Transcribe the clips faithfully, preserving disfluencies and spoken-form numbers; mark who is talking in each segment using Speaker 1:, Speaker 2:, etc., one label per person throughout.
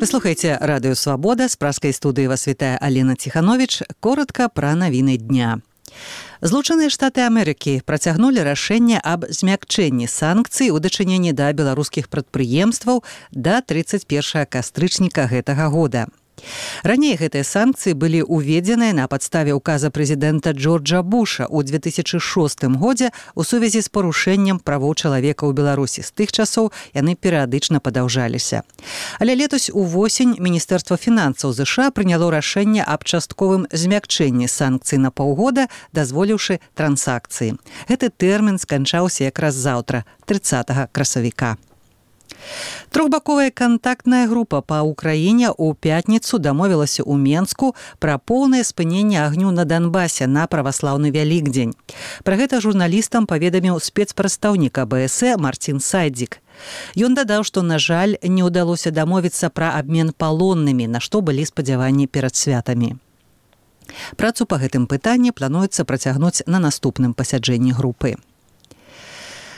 Speaker 1: Вы слухаеце радыё «Свабода», з праскай студыі вас вітае Алена Ціхановіч. Коротка пра навіны дня. Злучаныя Штаты Амерыкі працягнулі рашэнне аб змякчэнні санкцый у дачыненні да беларускіх прадпрыемстваў да тридцать первого кастрычніка гэтага года. Раней гэтыя санкцыі былі ўведзеныя на падставе указа прэзідэнта Джорджа Буша ў две тысячи шостым годзе у сувязі з парушэннем правоў чалавека ў Беларусі. З тых часоў яны перыядычна падаўжаліся. Але летась увосень Міністэрства фінансаў ЗША прыняло рашэнне аб частковым змякчэнні санкцый на паўгода, дазволіўшы трансакцыі. Гэты тэрмін сканчаўся якраз заўтра, тридцатого красавіка. Трохбаковая кантактная група па Ўкраіне ў пятніцу дамовілася ў Менску пра поўнае спыненне агню на Донбасе на праваслаўны Вялікдзень. Пра гэта журналістам паведаміў спецпрадстаўнік А Бэ Эс Э Марцін Сайдзік. Ён дадаў, што, на жаль, не ўдалося дамовіцца пра абмен палоннымі, на што былі спадзяванні перад святамі. Працу па гэтым пытанні плануецца працягнуць на наступным пасяджэнні групы.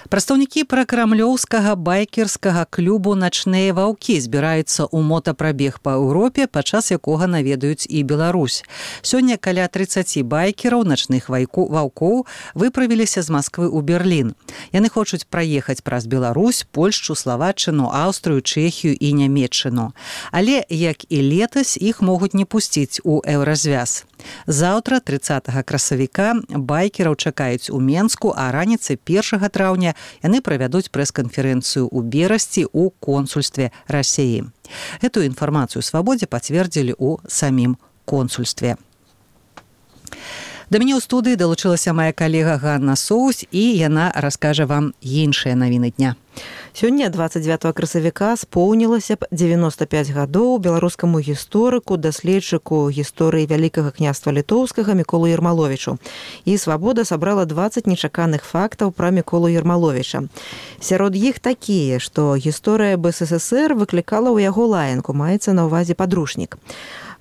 Speaker 1: Прадстаўнікі пракрамлёўскага байкерскага клубу «Начныя ваўкі» збіраюцца ў мотапрабег па Еўропе, падчас якога наведаюць і Беларусь. Сёння каля тридцати байкераў начных ваўкоў выправіліся з Масквы ў Берлін. Яны хочуць праехаць праз Беларусь, Польшчу, Славаччыну, Аўстрыю, Чэхію і Нямецчыну. Але, як і летась, іх могуць не пусціць у еўразвяз. Заўтра, тридцатого красавіка, байкераў чакаюць у Менску, а раніцай першага траўня яны правядуць прэс-канферэнцыю ў Берасці ў консульстве Расіі. Гэтую інфармацыю «Свабодзе» пацвердзілі ў самім консульстве. Да мяне ў студыі далучылася мая калега Ганна Соусь, і яна раскажа вам іншыя навіны дня.
Speaker 2: Сёння, двадцать девятого красавіка, споўнілася б девяносто пять гадоў беларускаму гісторыку, даследчыку гісторыі Вялікага княства Літоўскага Міколу Ермаловічу. І «Свабода» сабрала двадцать нечаканых фактаў пра Міколу Ермаловіча. Сярод іх такія, што гісторыя Бэ Эс Эс Эс Эр выклікала ў яго лаянку, маецца на ўвазе падручнік.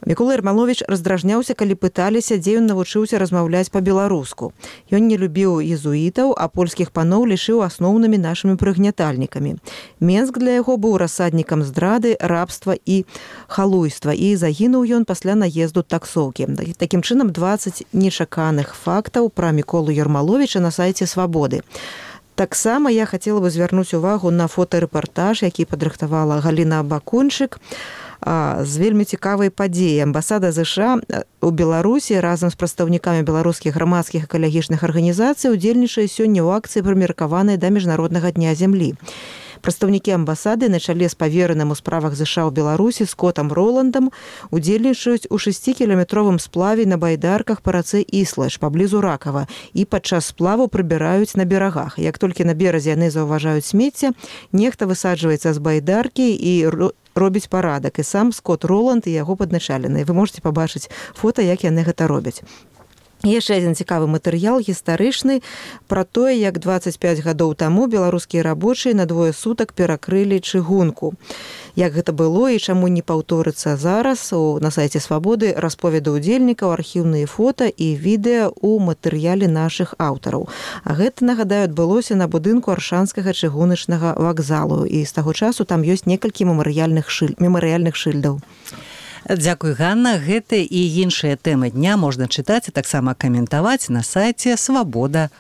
Speaker 2: Мікола Ермаловіч раздражняўся, калі пыталіся, дзе ён навучыўся размаўляць па-беларуску. Ён не любіў езуітаў, а польскіх паноў лічыў асноўнымі нашымі прыгнятальнікамі. Менск для яго быў рассаднікам здрады, рабства і халуйства, і загінуў ён пасля наезду таксоўкі. Такім чынам, двадцать нечаканых фактаў пра Міколу Ермаловіча на сайце «Свабоды». Таксама я хацела бы звярнуць увагу на фотарэпартаж, які падрыхтавала Галіна Бакунчык, з вельмі цікавай падзеі. Амбасада ЗША у Беларусі разам з прадстаўнікамі беларускіх грамадскіх экалагічных арганізацый удзельнічае сёння ў акцыі, прымеркаванай да міжнароднага дня зямлі. Прадстаўнікі амбасады на чале з павераным у справах ЗША ў Беларусі Скотам Роландам удзельнічаюць у шасцікіламетровым сплаве на байдарках па рацэ Іслэш паблізу Ракава і падчас сплаву прыбіраюць на берагах. Як толькі на беразе яны заўважаюць смецце, нехта высаджваецца з байдаркі і робіць парадак. І сам Скот Роланд і яго падначаленыя. Вы можете пабачыць фота, як яны гэта робяць. Яшчэ адзін цікавы матэрыял гістарычны пра тое, як двадцать пять гадоў таму беларускія рабочыя на двое сутак перакрылі чыгунку. Як гэта было і чаму не паўторыцца зараз, на сайце «Свабоды» расповеды ўдзельнікаў, архіўныя фота і відэа ў матэрыяле нашых аўтараў. А гэта, нагадаю, адбылося на будынку Аршанскага чыгуначнага вакзалу, і з таго часу там ёсць некалькі мемарыяльных шыль... мемарыяльных шыльдаў.
Speaker 1: Дзякуй, Ганна. Гэты і іншыя тэмы дня можна чытаць, а таксама каментаваць на сайце свабода